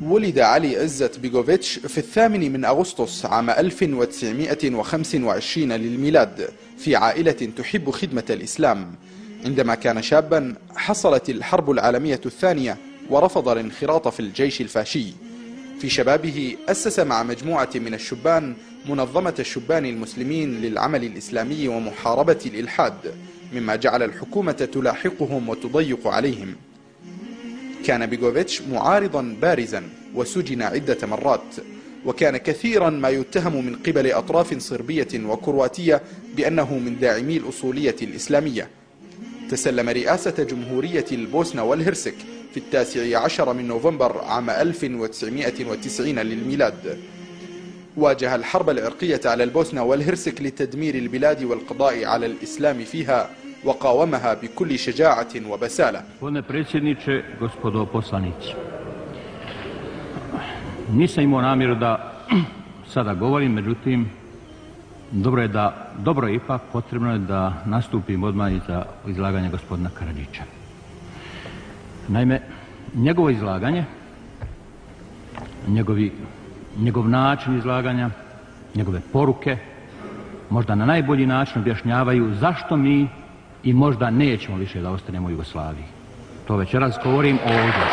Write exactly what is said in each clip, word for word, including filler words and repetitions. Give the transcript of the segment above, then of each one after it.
ولد علي عزت بيغوفيتش في الثامن من أغسطس عام ألف وتسعمائة وخمسة وعشرين للميلاد في عائلة تحب خدمة الإسلام. عندما كان شابا حصلت الحرب العالمية الثانية ورفض الانخراط في الجيش الفاشي. في شبابه أسس مع مجموعة من الشبان منظمة الشبان المسلمين للعمل الإسلامي ومحاربة الإلحاد، مما جعل الحكومة تلاحقهم وتضيق عليهم. كان بيغوفيتش معارضا بارزا وسجن عدة مرات، وكان كثيرا ما يتهم من قبل أطراف صربية وكرواتية بأنه من داعمي الأصولية الإسلامية. تسلم رئاسة جمهورية البوسنة والهرسك في التاسع عشر من نوفمبر عام ألف وتسعمائة وتسعين للميلاد. واجه الحرب العرقية على البوسنة والهرسك لتدمير البلاد والقضاء على الإسلام فيها، وقاومها بكل شجاعة وبسالة. Gospodine predsjedniče, gospodo poslanici, nisam imao namjeru da sada govorim, međutim, dobro je da, dobro je ipak potrebno je da nastupim odmah za izlaganje gospodina Karadžića. Naime, njegovo izlaganje, njegovi, njegov način izlaganja, njegove poruke, možda na najbolji način objašnjavaju zašto mi i možda nećemo više da ostanemo u Jugoslaviji. To večeras govorim ovdje.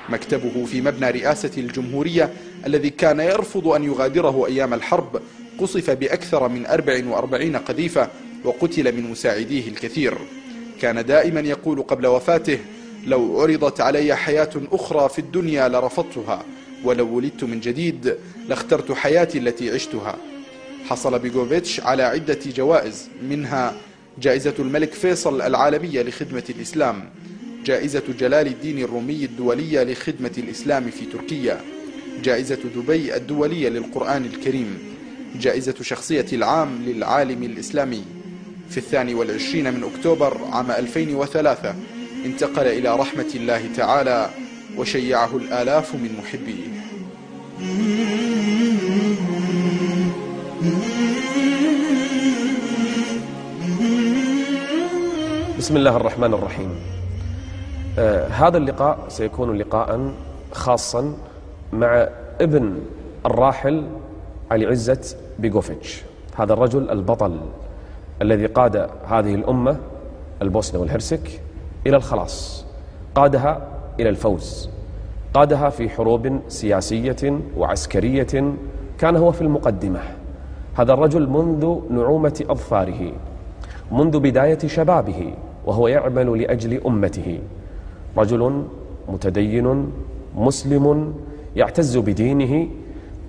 مكتبه في مبنى رئاسة الجمهورية الذي كان يرفض أن يغادره أيام الحرب قصف بأكثر من أربع وأربعين قذيفة وقتل من مساعديه الكثير. كان دائما يقول قبل وفاته: لو عرضت علي حياة أخرى في الدنيا لرفضتها، ولو ولدت من جديد لاخترت حياتي التي عشتها. حصل بيغوفيتش على عدة جوائز، منها جائزة الملك فيصل العالمية لخدمة الإسلام، جائزة جلال الدين الرومي الدولية لخدمة الإسلام في تركيا، جائزة دبي الدولية للقرآن الكريم، جائزة شخصية العام للعالم الإسلامي. في الثاني والعشرين من أكتوبر عام ألفين وثلاثة انتقل إلى رحمة الله تعالى وشيعه الآلاف من محبيه. بسم الله الرحمن الرحيم. آه هذا اللقاء سيكون لقاء خاصا مع ابن الراحل علي عزت بيغوفيتش، هذا الرجل البطل الذي قاد هذه الأمة البوسنة والهرسك إلى الخلاص، قادها إلى الفوز، قادها في حروب سياسية وعسكرية، كان هو في المقدمة. هذا الرجل منذ نعومة أظفاره، منذ بداية شبابه وهو يعمل لأجل أمته، رجل متدين مسلم يعتز بدينه،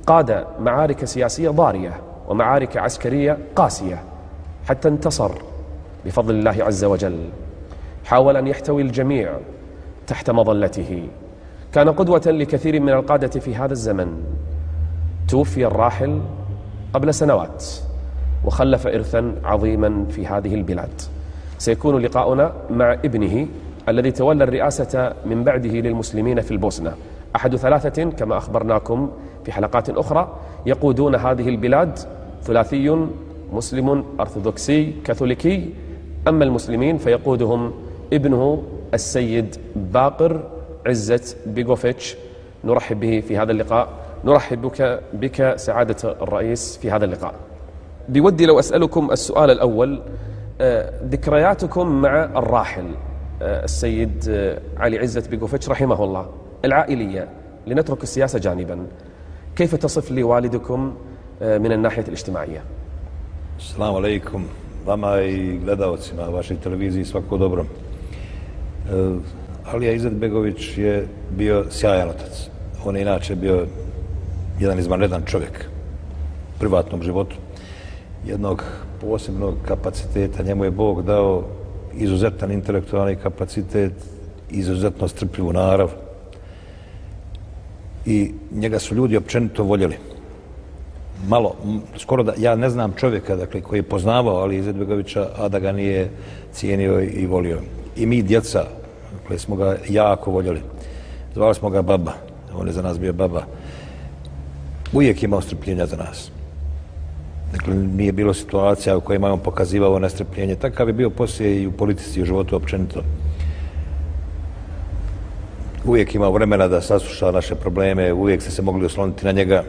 قاد معارك سياسية ضارية ومعارك عسكرية قاسية حتى انتصر بفضل الله عز وجل. حاول أن يحتوي الجميع تحت مظلته، كان قدوة لكثير من القادة في هذا الزمن. توفي الراحل قبل سنوات وخلف إرثا عظيما في هذه البلاد. سيكون لقاؤنا مع ابنه الذي تولى الرئاسة من بعده للمسلمين في البوسنة، أحد ثلاثة كما أخبرناكم في حلقات أخرى يقودون هذه البلاد، ثلاثي مسلم أرثوذكسي كاثوليكي، أما المسلمين فيقودهم ابنه السيد باقر عزت بيغوفيتش. نرحب به في هذا اللقاء. نرحب بك, بك سعادة الرئيس في هذا اللقاء. بودي لو أسألكم السؤال الأول، ذكرياتكم مع الراحل السيد علي عزت بيغوفيتش رحمه الله العائلية، لنترك السياسة جانبا، كيف تصف لي والدكم من الناحية الاجتماعية؟ Assalamu alaikum, vama i gledalcima vašoj televiziji, svako dobro. Alija Izetbegović je bio sjajan otac. On je inače bio jedan izvanredan čovjek u privatnom životu, jednog posebnog kapaciteta. Njemu je Bog dao izuzetan intelektualni kapacitet, izuzetno strpljivu narav i njega su ljudi općenito voljeli. Malo, skoro da, ja ne znam čovjeka dakle, koji je poznavao Aliju Izetbegovića, a da ga nije cijenio i volio. I mi djeca, dakle, smo ga jako voljeli. Zvali smo ga baba, on je za nas bio baba. Uvijek imao strpljenja za nas. Dakle, nije bilo situacija u kojima je on pokazivao nestrpljenje. Takav je bio poslije i u politici i u životu općenito. uvijek imao vremena da sasluša naše probleme, uvijek ste se mogli osloniti na njega.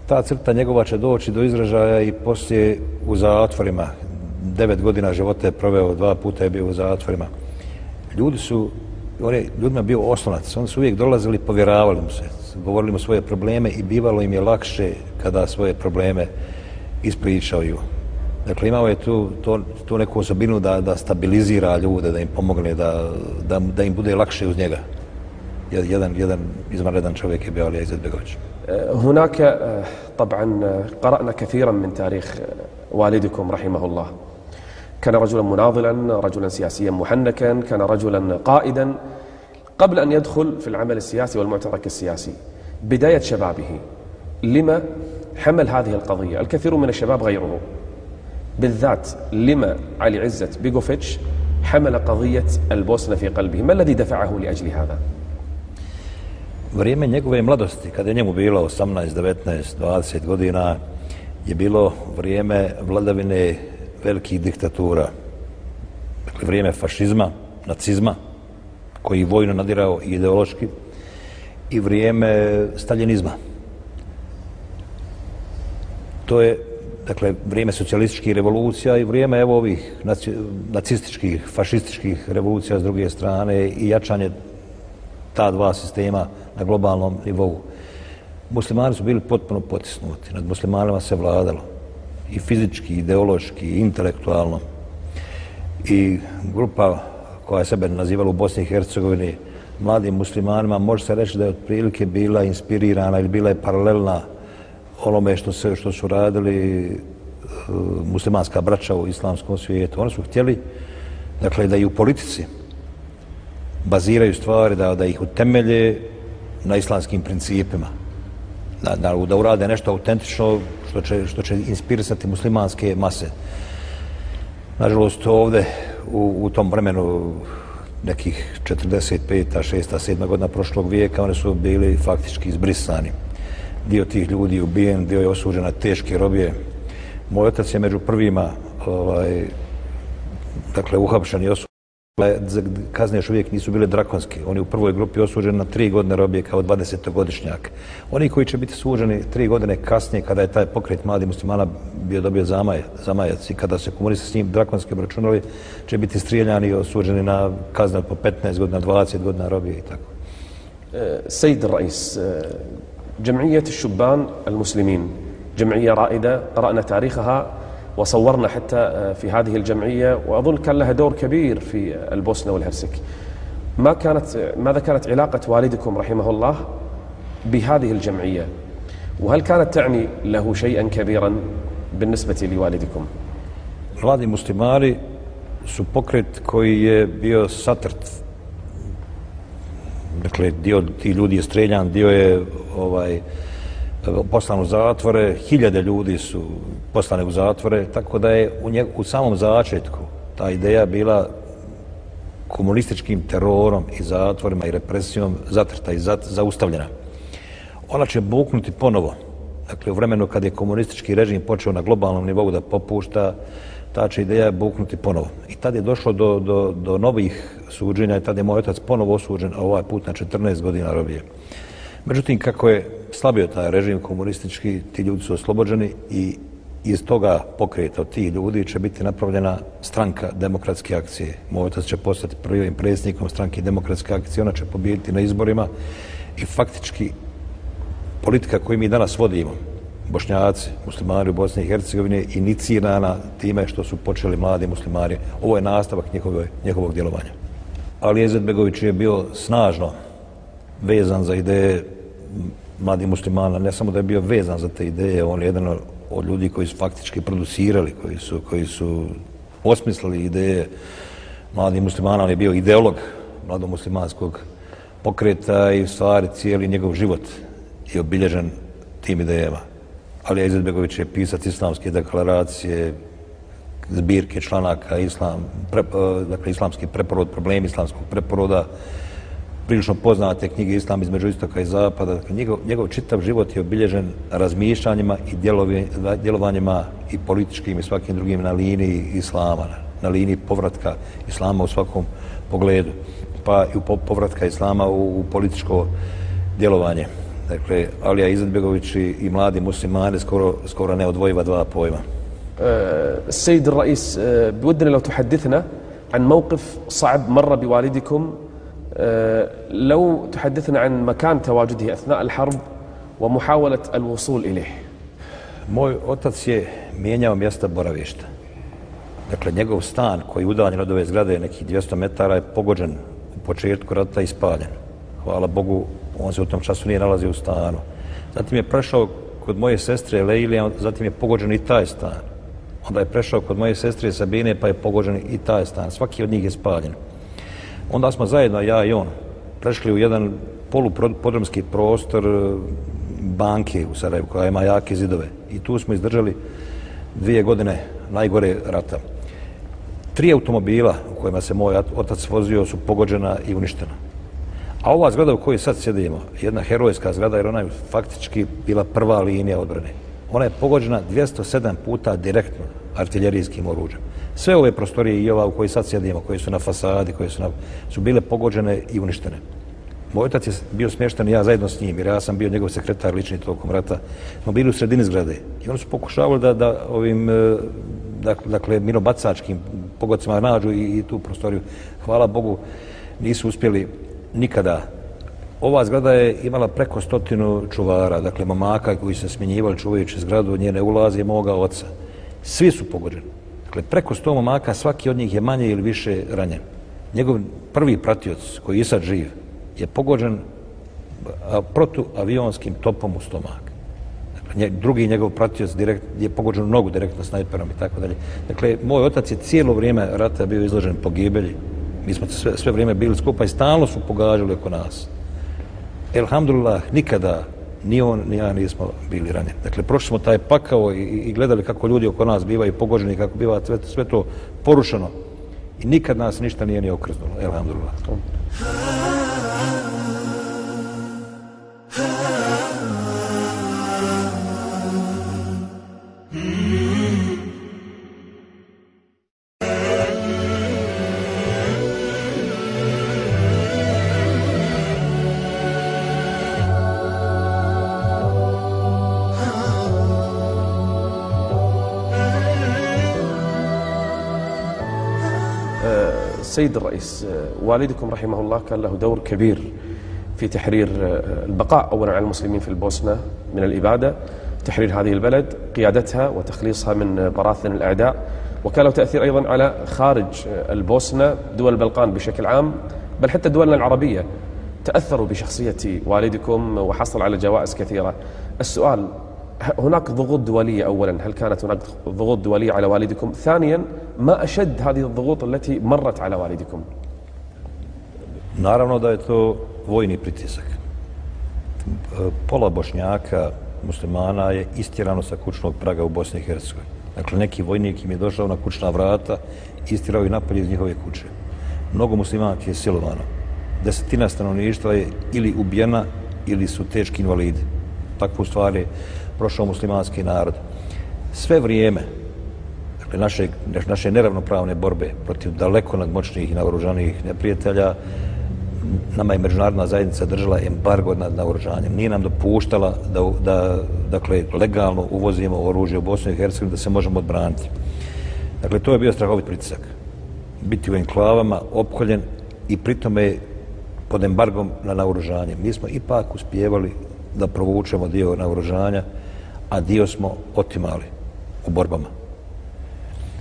Ta crta njegova će doći do izražaja i poslije u zatvorima. Devet godina života je proveo, dva puta je bio u zatvorima. Ljudi su, on je ljudima bio oslonac, oni su uvijek dolazili, povjeravali mu se, govorili mu svoje probleme i bivalo im je lakše kada svoje probleme ispričaju. Dakle, imao je tu, to, tu neku osobinu da, da stabilizira ljude, da im pomogne, da, da, da im bude lakše uz njega. Jedan, jedan izvanredan čovjek je bio Alija Izetbegović. هناك طبعا قرأنا كثيرا من تاريخ والدكم رحمه الله. كان رجلا مناضلا، رجلا سياسيا محنكا، كان رجلا قائدا قبل أن يدخل في العمل السياسي والمعترك السياسي. بداية شبابه لما حمل هذه القضية؟ الكثير من الشباب غيره، بالذات لما علي عزت بيغوفيتش حمل قضية البوسنة في قلبه؟ ما الذي دفعه لأجل هذا؟ Vrijeme njegove mladosti, kada je njemu bilo osamnaest, devetnaest, dvadeset godina, je bilo vrijeme vladavine velikih diktatura. Dakle, vrijeme fašizma, nacizma, koji vojno nadirao i ideološki, i vrijeme staljinizma. To je, dakle, vrijeme socijalističkih revolucija i vrijeme evo ovih nacističkih, fašističkih revolucija s druge strane i jačanje ta dva sistema na globalnom nivou. Muslimani su bili potpuno potisnuti, nad muslimanima se vladalo i fizički, i ideološki, i intelektualno. I grupa koja je sebe nazivala u Bosni i Hercegovini mladim muslimanima, može se reći da je otprilike bila inspirirana ili bila je paralelna onome što, se, što su radili uh, muslimanska braća u islamskom svijetu. Oni su htjeli, dakle, da i u politici baziraju stvari, da, da ih utemelje na islamskim principima. Da, da, da urade nešto autentično što će, što će inspirisati muslimanske mase. Nažalost, ovdje u, u tom vremenu nekih četrdeset peta, šesta, sedma godina prošlog vijeka oni su bili faktički izbrisani. Dio tih ljudi je ubijen, dio je osuđen na teške robije. Moj otac je među prvima ovaj, dakle, uhapšen i osuđen. Kazne još uvijek nisu bile drakonske. Oni u prvoj grupi osuđeni na tri godine robije kao dvadesetogodišnjak. Oni koji će biti suđeni tri godine kasnije, kada je taj pokret mladih muslimana bio dobio zamaj, zamajac i kada se komunisti s njim drakonski obračunali, će biti strijeljani i osuđeni na kazne po petnaest godina, dvadeset godina robije i tako. سيد الرئيس، جمعية الشبان المسلمين جمعية رائدة، قرأنا تاريخها وصورنا حتى في هذه الجمعية، وأظن كان لها دور كبير في البوسنة والهرسك. ما كانت ماذا كانت علاقة والدكم رحمه الله بهذه الجمعية؟ وهل كانت تعني له شيئا كبيرا بالنسبة لوالدكم؟ Mladi muslimani su pokret koji je bio satrt. Dakle, dio ti ljudi je streljan, dio je ovaj, poslan u zatvore, hiljade ljudi su poslane u zatvore, tako da je u, njeg, u samom začetku ta ideja bila komunističkim terorom i zatvorima i represijom zatrta i zat, zaustavljena. Ona će buknuti ponovo. Dakle, u vremenu kad je komunistički režim počeo na globalnom nivou da popušta, ta će ideja buknuti ponovo. I tad je došlo do, do, do novih suđenja i tad je moj otac ponovo osuđen, a ovaj put na četrnaest godina robije. Međutim, kako je slabio taj režim komunistički, ti ljudi su oslobođeni i iz toga pokreta od tih ljudi će biti napravljena stranka demokratske akcije. Moj otac će postati prvim predsjednikom stranke demokratske akcije, ona će pobijediti na izborima i faktički politika koju mi danas vodimo, Bošnjaci, muslimani u Bosni i Hercegovini, inicirana time što su počeli mladi muslimani. Ovo je nastavak njihovog, njihovog djelovanja. Ali Izetbegović je bio snažno vezan za ideje mladih muslimana, ne samo da je bio vezan za te ideje, on je jedan od ljudi koji su faktički producirali, koji su, koji su osmislili ideje mladih muslimana, on je bio ideolog mladomuslimanskog pokreta i u stvari cijeli njegov život je obilježen tim idejama. Alija Izetbegović je pisac islamske deklaracije, zbirke članaka, islam, pre, dakle, islamski preporod, problemi islamskog preporoda, prilično poznate knjige Islam između istoka i zapada. Dakle, njegov, njegov čitav život je obilježen razmišljanjima i djelovanjima i političkim i svakim drugim na liniji islama, na liniji povratka islama u svakom pogledu. pa i u povratka islama u, u političko djelovanje. Dakle, Alija Izetbegović i, i mladi muslimani skoro, skoro neodvojiva dva pojma. السيد الرئيس بودنا لو تحدثنا عن موقف صعب مر بوالدكم لو تحدثنا عن مكان تواجده أثناء الحرب ومحاولة الوصول إليه. Moj otac je mijenjao mjesta boravišta. Dakle, njegov stan koji je udaljen od ove zgrade nekih dvjesto metara je pogođen u početku rata i spaljen. Hvala Bogu, on se u tom času nije nalazio u stanu. Zatim je prešao kod moje sestre Leilije, zatim je pogođen i taj stan. Onda je prešao kod moje sestre Sabine, pa je pogođen i taj stan. Svaki od njih je spaljen. Onda smo zajedno, ja i on, prešli u jedan polupodrumski prostor banke u Sarajevu, koja ima jake zidove. I tu smo izdržali dvije godine najgore rata. Tri automobila u kojima se moj otac vozio su pogođena i uništena. A ova zgrada u kojoj sad sjedimo, jedna herojska zgrada, jer ona je faktički bila prva linija odbrane. Ona je pogođena dvjesto sedam puta direktno artiljerijskim oruđem. Sve ove prostorije i ova u kojoj sad sjedimo, koje su na fasadi, koje su, na, su bile pogođene i uništene. Moj otac je bio smješten i ja zajedno s njim, jer ja sam bio njegov sekretar lični tokom rata. Smo bili u sredini zgrade i oni su pokušavali da, da ovim dakle, minobacačkim pogodcima nađu i, i tu prostoriju. Hvala Bogu, nisu uspjeli nikada. Ova zgrada je imala preko stotinu čuvara, dakle momaka koji se smjenjivali čuvajući zgradu od njene ulaze moga oca. Svi su pogođeni. Dakle, preko sto momaka, svaki od njih je manje ili više ranjen. Njegov prvi pratioc, koji je sad živ, je pogođen protuavionskim topom u stomak. Dakle, drugi njegov pratioc direkt, je pogođen u nogu direktno snajperom i tako dalje. Dakle, moj otac je cijelo vrijeme rata bio izložen pogibelji. Mi smo sve, sve vrijeme bili skupa i stalno su pogađali oko nas. Elhamdulillah, nikada ni on ni ja nismo bili ranjeni. Dakle, prošli smo taj pakao i, i gledali kako ljudi oko nas bivaju pogođeni, kako biva sve, sve to porušeno. I nikad nas ništa nije ni okrznulo. Elhamdulillah. السيد الرئيس والدكم رحمه الله كان له دور كبير في تحرير البقاء أولا على المسلمين في البوسنة من الإبادة، تحرير هذه البلد، قيادتها وتخليصها من براثن الأعداء، وكان له تأثير أيضا على خارج البوسنة، دول البلقان بشكل عام، بل حتى دولنا العربية تأثروا بشخصية والدكم وحصل على جوائز كثيرة. السؤال، هناك ضغوط دولية أولا، هل كانت هناك ضغوط دولية على والدكم؟ ثانيا، ما أشد هذه الضغوط التي مرت على والدكم؟ Naravno da je to vojni pritisak. Pola Bošnjaka, muslimana je istjerano sa kućnog praga u Bosni i Hercegovini. Dakle, neki vojnik im je došao na kućna vrata i istirao ih napolje iz njihove kuće. Mnogo muslimanki je silovano. Desetina stanovništva je ili ubijena ili su teški invalidi. Takvu stvar je prošao muslimanski narod. Sve vrijeme dakle, naše, naše neravnopravne borbe protiv daleko nadmoćnijih i naoružanijih neprijatelja, nama je međunarodna zajednica držala embargo nad naoružanjem. Nije nam dopuštala da, da dakle, legalno uvozimo oružje u Bosnu i Hercegovinu da se možemo odbraniti. Dakle, to je bio strahovit pritisak. Biti u enklavama, opkoljen i pritome pod embargom na naoružanje. Mi smo ipak uspijevali da provučemo dio naoružanja, a dio smo otimali u borbama.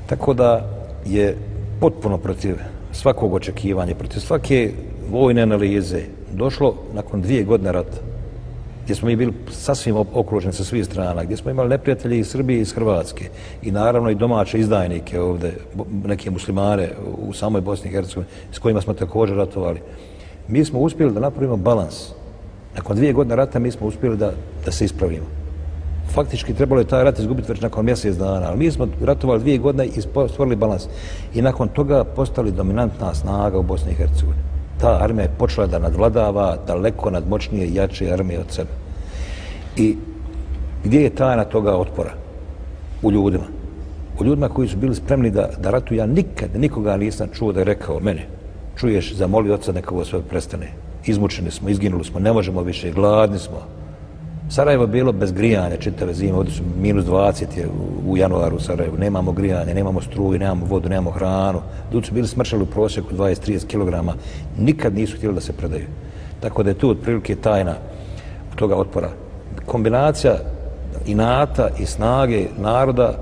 Tako da je potpuno protiv svakog očekivanja, protiv svake vojne analize došlo nakon dvije godine rata, gdje smo mi bili sasvim okruženi sa svih strana, gdje smo imali neprijatelje iz Srbije i iz Hrvatske i naravno i domaće izdajnike ovdje, neke muslimane u samoj Bosni i Hercegovini s kojima smo također ratovali. Mi smo uspjeli da napravimo balans. Nakon dvije godine rata mi smo uspjeli da, da se ispravimo. Faktički trebalo je taj rat izgubiti već nakon mjesec dana, ali mi smo ratovali dvije godine i stvorili balans. I nakon toga postali dominantna snaga u Bosni i Hercegovini. Ta armija je počela da nadvladava daleko nadmoćnije i jače armije od sebe. I gdje je tajna toga otpora? U ljudima. U ljudima koji su bili spremni da, da ratuju. Ja nikad nikoga nisam čuo da je rekao mene čuješ, zamoli oca neka ovo sve prestane. Izmučeni smo, izginuli smo, ne možemo više, gladni smo. Sarajevo je bilo bez grijanja čitave zime, ovdje su minus dvadeset je u januaru u Sarajevu, nemamo grijanje, nemamo struju, nemamo vodu, nemamo hranu. Ljudi su bili smršali u prosjeku dvadeset do trideset kilograma, nikad nisu htjeli da se predaju. Tako da je tu otprilike tajna toga otpora. Kombinacija inata i snage naroda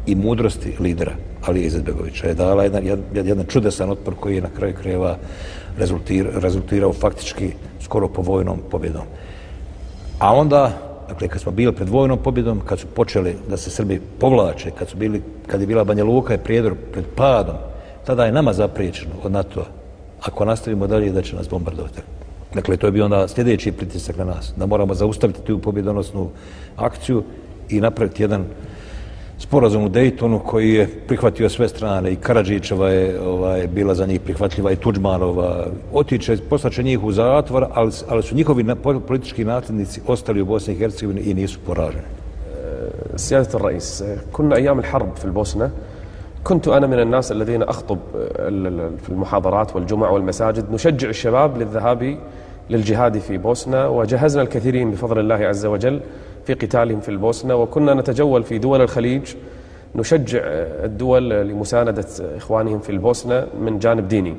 i mudrosti lidera Alije Izetbegovića je dala jedan, jedan čudesan otpor koji je na kraju krajeva rezultirao, rezultirao faktički skoro po vojnom pobjedom. A onda, dakle, kad smo bili pred vojnom pobjedom, kad su počeli da se Srbi povlače, kad su bili, kad je bila Banja Luka i Prijedor pred padom, tada je nama zapriječeno od NATO-a, ako nastavimo dalje, da će nas bombardovati. Dakle, to je bio onda sljedeći pritisak na nas, da moramo zaustaviti tu pobjedonosnu akciju i napraviti jedan sporazum u Dejtonu koji je prihvatio sve strane. I Karadžićeva je ovaj, bila za njih prihvatljiva i Tudžmanova. Otiče, poslaće njih u zatvor, ali, ali su njihovi politički nasljednici ostali u Bosni i Hercegovini i nisu poraženi. سيادة الرئيس، كنا أيام الحرب في البوسنة، كنت أنا من الناس الذين أخطب في المحاضرات والجمع والمساجد نشجع الشباب للذهاب للجهاد في بوسنة، وجهزنا الكثيرين بفضل الله عز وجل في قتالهم في البوسنة، وكنا نتجول في دول الخليج نشجع الدول لمساندة إخوانهم في البوسنة من جانب ديني.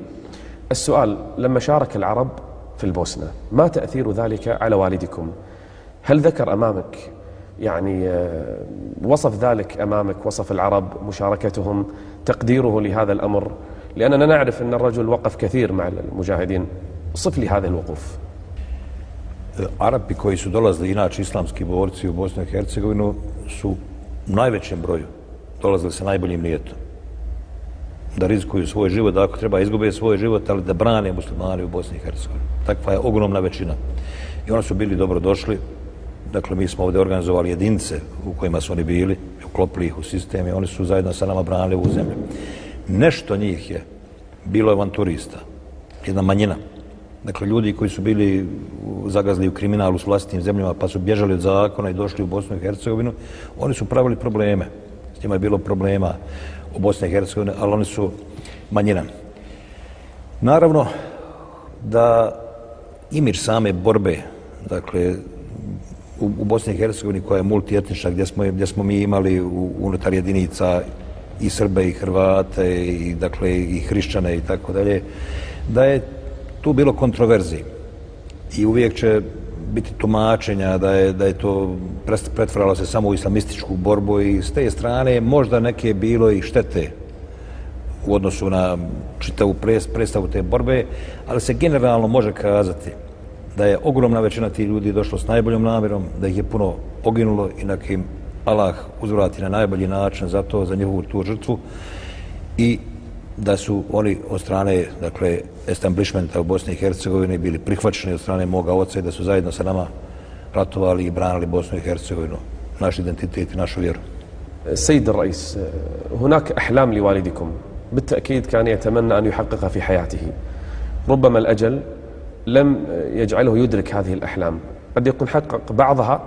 السؤال: لما شارك العرب في البوسنة ما تأثير ذلك على والدكم؟ هل ذكر أمامك يعني وصف ذلك أمامك، وصف العرب، مشاركتهم، تقديره لهذا الأمر؟ لأننا نعرف أن الرجل وقف كثير مع المجاهدين. صف لي هذا الوقوف. Arapi koji su dolazili, inače islamski borci u Bosnu i Hercegovinu, su u najvećem broju dolazili sa najboljim nijetom. Da rizikuju svoj život, da ako treba izgube svoj život, ali da brane muslimani u Bosni i Hercegovini. Takva je ogromna većina. I oni su bili dobro došli. Dakle, mi smo ovdje organizovali jedinice u kojima su oni bili, uklopili ih u sistem i oni su zajedno sa nama branili ovu zemlju. Nešto njih je bilo avanturista, jedna manjina. Dakle, ljudi koji su bili zagazli u kriminalu s vlastitim zemljama pa su bježali od zakona i došli u Bosnu i Hercegovinu, oni su pravili probleme. S njima je bilo problema u Bosni i Hercegovini, ali oni su manjina. Naravno da imidž same borbe, dakle, u, u Bosni i Hercegovini koja je multietnična, gdje smo, gdje smo mi imali u, unutar jedinica i Srbe i Hrvate i, dakle, i hrišćane i tako dalje, da je tu bilo kontroverziji i uvijek će biti tumačenja da je, da je to pretvaralo se samo u islamističku borbu i s te strane možda neke bilo i štete u odnosu na čitavu predstavu te borbe, ali se generalno može kazati da je ogromna većina tih ljudi došlo s najboljom namjerom, da ih je puno poginulo i na kim Allah uzvrati na najbolji način za to, za njihovu tu žrtvu i da su oni od strane, dakle, establishmenta u Bosni i Hercegovini bili prihvaćeni od strane moga oca i da su zajedno sa nama ratovali i branili Bosnu i Hercegovinu, naš identitet i našu vjeru. سيد الرئيس، هناك أحلام لوالدكم بالتأكيد كان يتمنى أن يحققها في حياته. ربما الأجل لم يجعله يدرك هذه الأحلام، قد يكون حقق بعضها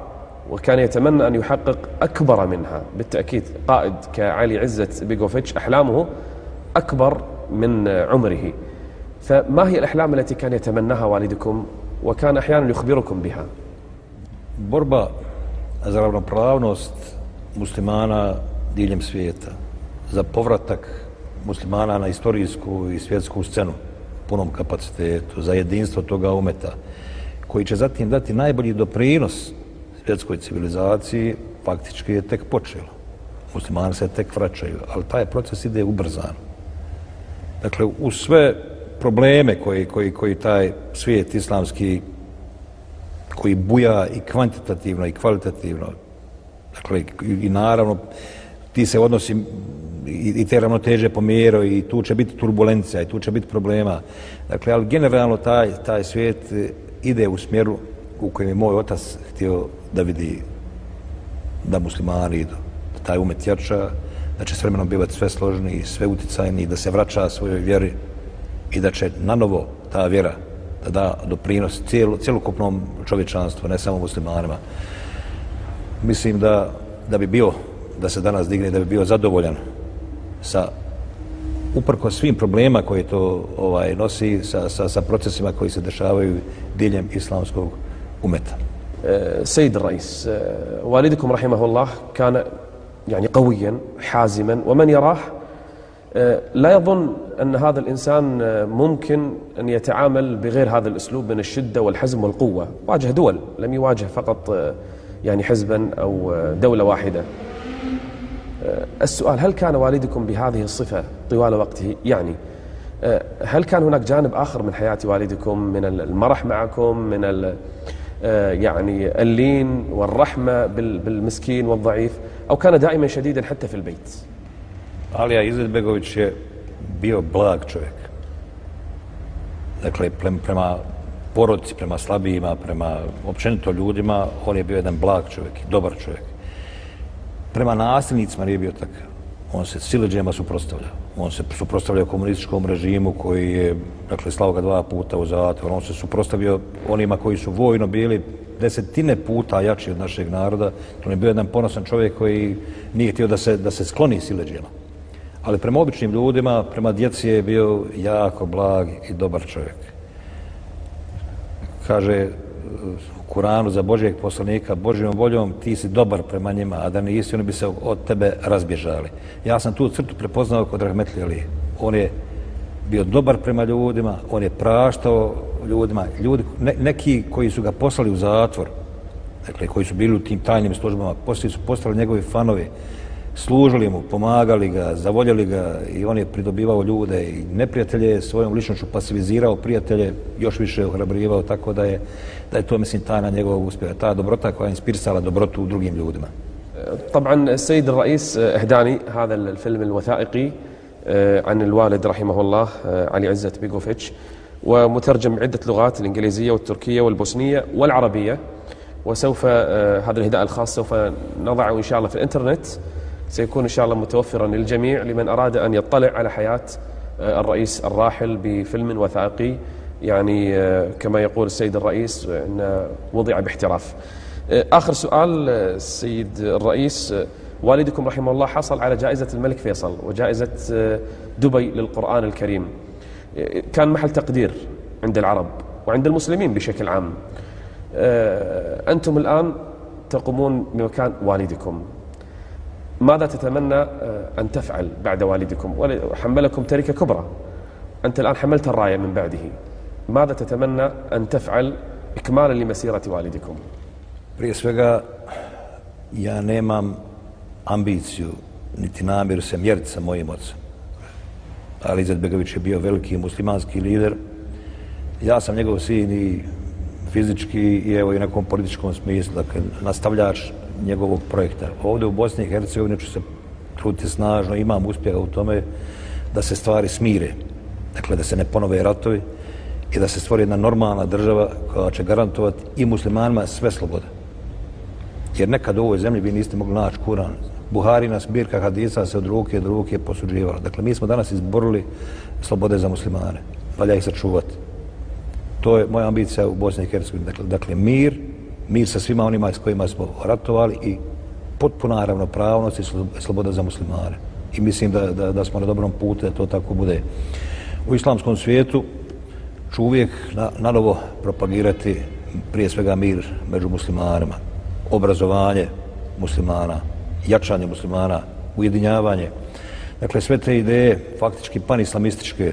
وكان يتمنى أن يحقق أكبر منها. بالتأكيد قائد كعلي عزت بيغوفيتش أحلامه أكبر من عمره. فما هي الأحلام التي كان يتمناها والدكم وكان أحيانا يخبركم بها؟ Borba za ravnopravnost muslimana diljem svijeta, za povratak muslimana na istorijsku i svjetsku scenu punom kapacitetu, za jedinstvo toga umeta, koji će zatim dati najbolji doprinos svjetskoj civilizaciji, faktički je tek počelo. Muslimani se tek vraćaju, ali taj proces ide ubrzano. Dakle, uz sve probleme koji, koji, koji taj svijet islamski, koji buja i kvantitativno i kvalitativno, dakle, i, i naravno ti se odnosi i, i te ravnoteže pomjerao i tu će biti turbulencija i tu će biti problema. Dakle, ali generalno taj, taj svijet ide u smjeru u kojem je moj otac htio da vidi da muslimani idu, da taj umet jača, da će s vremenom bivati sve složniji, sve uticajniji, da se vraća svojoj vjeri i da će na novo ta vjera da da doprinos cijelo, cjelokupnom čovječanstvu, ne samo muslimanima. Mislim da, da bi bio, da se danas digne, da bi bio zadovoljan sa uprkos svim problema koje to ovaj, nosi sa, sa, sa procesima koji se dešavaju diljem islamskog umeta. سيد الرئيس والدكم رحمه الله كان يعني قويا حازما ومن يراه لا يظن أن هذا الإنسان ممكن أن يتعامل بغير هذا الأسلوب من الشدة والحزم والقوة. واجه دول، لم يواجه فقط يعني حزبا أو دولة واحدة. السؤال: هل كان والدكم بهذه الصفة طوال وقته؟ يعني هل كان هناك جانب آخر من حياة والدكم من المرح معكم، من يعني اللين والرحمة بالمسكين والضعيف، أو كان دائما شديدا حتى في البيت؟ Alija Izetbegović je bio blag čovjek. Dakle, prema porodici, prema slabijima, prema općenito ljudima, on je bio jedan blag čovjek, dobar čovjek. Prema nasilnicima nije bio takav. On se sileđima suprotstavljao. On se suprotstavljao komunističkom režimu koji je, dakle, slao ga dva puta u zatvor. On se suprotstavio onima koji su vojno bili desetine puta jači od našeg naroda. On je bio jedan ponosan čovjek koji nije htio da se, da se skloni sileđima. Ali prema običnim ljudima, prema djeci je bio jako blag i dobar čovjek. Kaže u Kuranu za Božijeg poslanika: Božjom voljom ti si dobar prema njima, a da nisi, oni bi se od tebe razbježali. Ja sam tu crtu prepoznao kod Rahmetli Alije. On je bio dobar prema ljudima, on je praštao ljudima. Ljudi, ne, neki koji su ga poslali u zatvor, dakle, koji su bili u tim tajnim službama, poslije su postali njegovi fanovi, služili mu, pomagali ga, zavoljeli ga i on je pridobivao ljude i neprijatelje je svojom ličnošću pasivizirao, prijatelje još više ohrabrivao, tako da je, da je to, mislim, tajna njegovog uspjeha. Ta dobrota koja je inspirisala dobrotu u drugim ljudima. طبعا السيد الرئيس اهداني هذا الفيلم الوثائقي عن الوالد رحمه الله علي عزت بيغوفيتش، ومترجم عدة لغات: الإنجليزية والتركية والبوسنية والعربية. وسوف هذا الهداء الخاص سوف نضعه إن شاء الله في الإنترنت، سيكون إن شاء الله متوفرا للجميع لمن أراد أن يطلع على حياة الرئيس الراحل بفيلم وثائقي، يعني كما يقول السيد الرئيس أن وضع باحتراف. آخر سؤال السيد الرئيس: والدكم رحمه الله حصل على جائزة الملك فيصل وجائزة دبي للقرآن الكريم، كان محل تقدير عند العرب وعند المسلمين بشكل عام. أنتم الآن تقومون بمكان والدكم، ماذا تتمنى أن تفعل بعد والدكم؟ وحملكم تركة كبرى، أنت الآن حملت الراية من بعده، ماذا تتمنى أن تفعل إكمالا لمسيرة والدكم؟ Prije svega, ja nemam ambiciju niti namjeru se mjeriti sa mojim ocem. Ali Izetbegović je bio veliki muslimanski lider. Ja sam njegov sin i fizički i evo i nekom političkom smislu, dakle, nastavljač njegovog projekta. Ovdje u Bosni i Hercegovini ću se truditi snažno, imam uspjeha u tome da se stvari smire, dakle da se ne ponove ratovi i da se stvori jedna normalna država koja će garantovati i muslimanima sve slobode. Jer nekad u ovoj zemlji vi niste mogli naći Kuran. Buharina zbirka hadisa se od ruke do ruke posuđivala. Dakle, mi smo danas izborili slobode za muslimane. Valja ih sačuvati. To je moja ambicija u Bosni i Hercegovini. Dakle, dakle, mir, mir sa svima onima s kojima smo ratovali i potpuna ravnopravnost i sloboda za muslimane. I mislim da, da, da smo na dobrom putu da to tako bude. U islamskom svijetu ću uvijek na, na novo propagirati prije svega mir među muslimanima, obrazovanje muslimana, jačanje muslimana, ujedinjavanje. Dakle, sve te ideje, faktički panislamističke,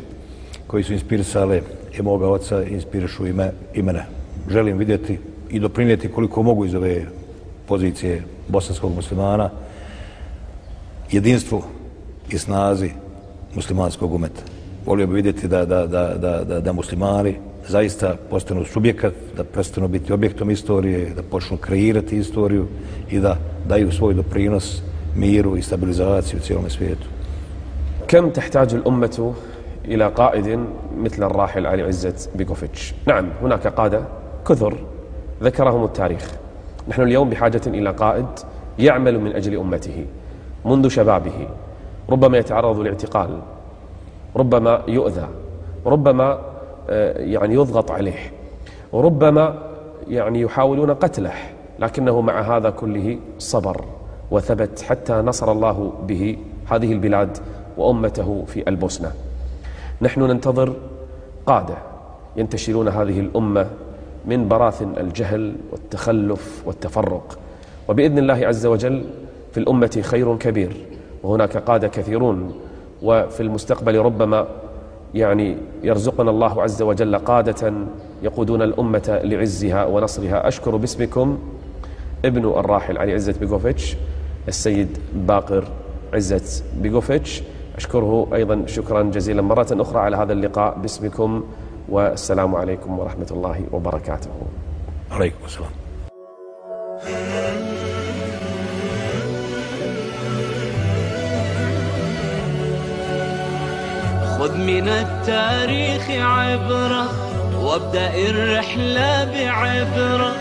koji su inspirisale i moga oca, inspirišu i, me, i mene. Želim vidjeti i doprinijeti koliko mogu iz ove pozicije bosanskog muslimana jedinstvu i snazi muslimanskog umeta. Volio bi vidjeti da, da, da, da, da, da muslimani zaista postanu subjekat, da prestanu biti objektom istorije, da počnu kreirati istoriju i da daju svoj doprinos miru i stabilizaciju u cijelom svijetu. كم تحتاج الأمة إلى قائد مثل الراحل علي عزت بيغوفيتش؟ نعم، هناك قادة كثر ذكرهم التاريخ. نحن اليوم بحاجة إلى قائد يعمل من أجل أمته منذ شبابه، ربما يتعرض لاعتقال، ربما يؤذى، ربما يعني يضغط عليه، وربما يعني يحاولون قتله، لكنه مع هذا كله صبر وثبت حتى نصر الله به هذه البلاد وأمته في البوسنة. نحن ننتظر قادة ينتشلون هذه الأمة من براثن الجهل والتخلف والتفرق، وبإذن الله عز وجل في الأمة خير كبير، وهناك قادة كثيرون، وفي المستقبل ربما يعني يرزقنا الله عز وجل قادة يقودون الأمة لعزها ونصرها. أشكر باسمكم ابن الراحل علي عزت بيغوفيتش السيد باقر عزت بيغوفيتش، أشكره أيضا شكرا جزيلا مرة أخرى على هذا اللقاء باسمكم، والسلام عليكم ورحمة الله وبركاته. عليكم السلام. خذ من التاريخ عبرة وابدأ الرحلة بعبرة،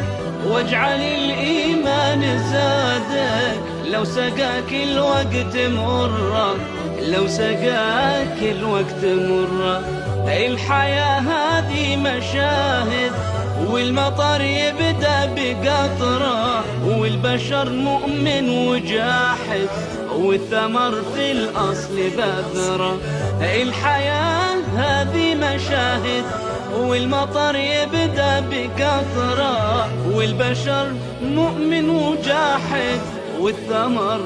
واجعل الإيمان زادك لو سقاك الوقت مرة، لو سقاك الوقت مرة. الحياة هذه مشاهد، والمطر يبدأ بقطرة، والبشر مؤمن وجاحد، والثمر في الأصل بذرة. الحياة هذه مشاهد، والمطر يبدأ بقطرة، والبشر مؤمن وجاحد، والثمر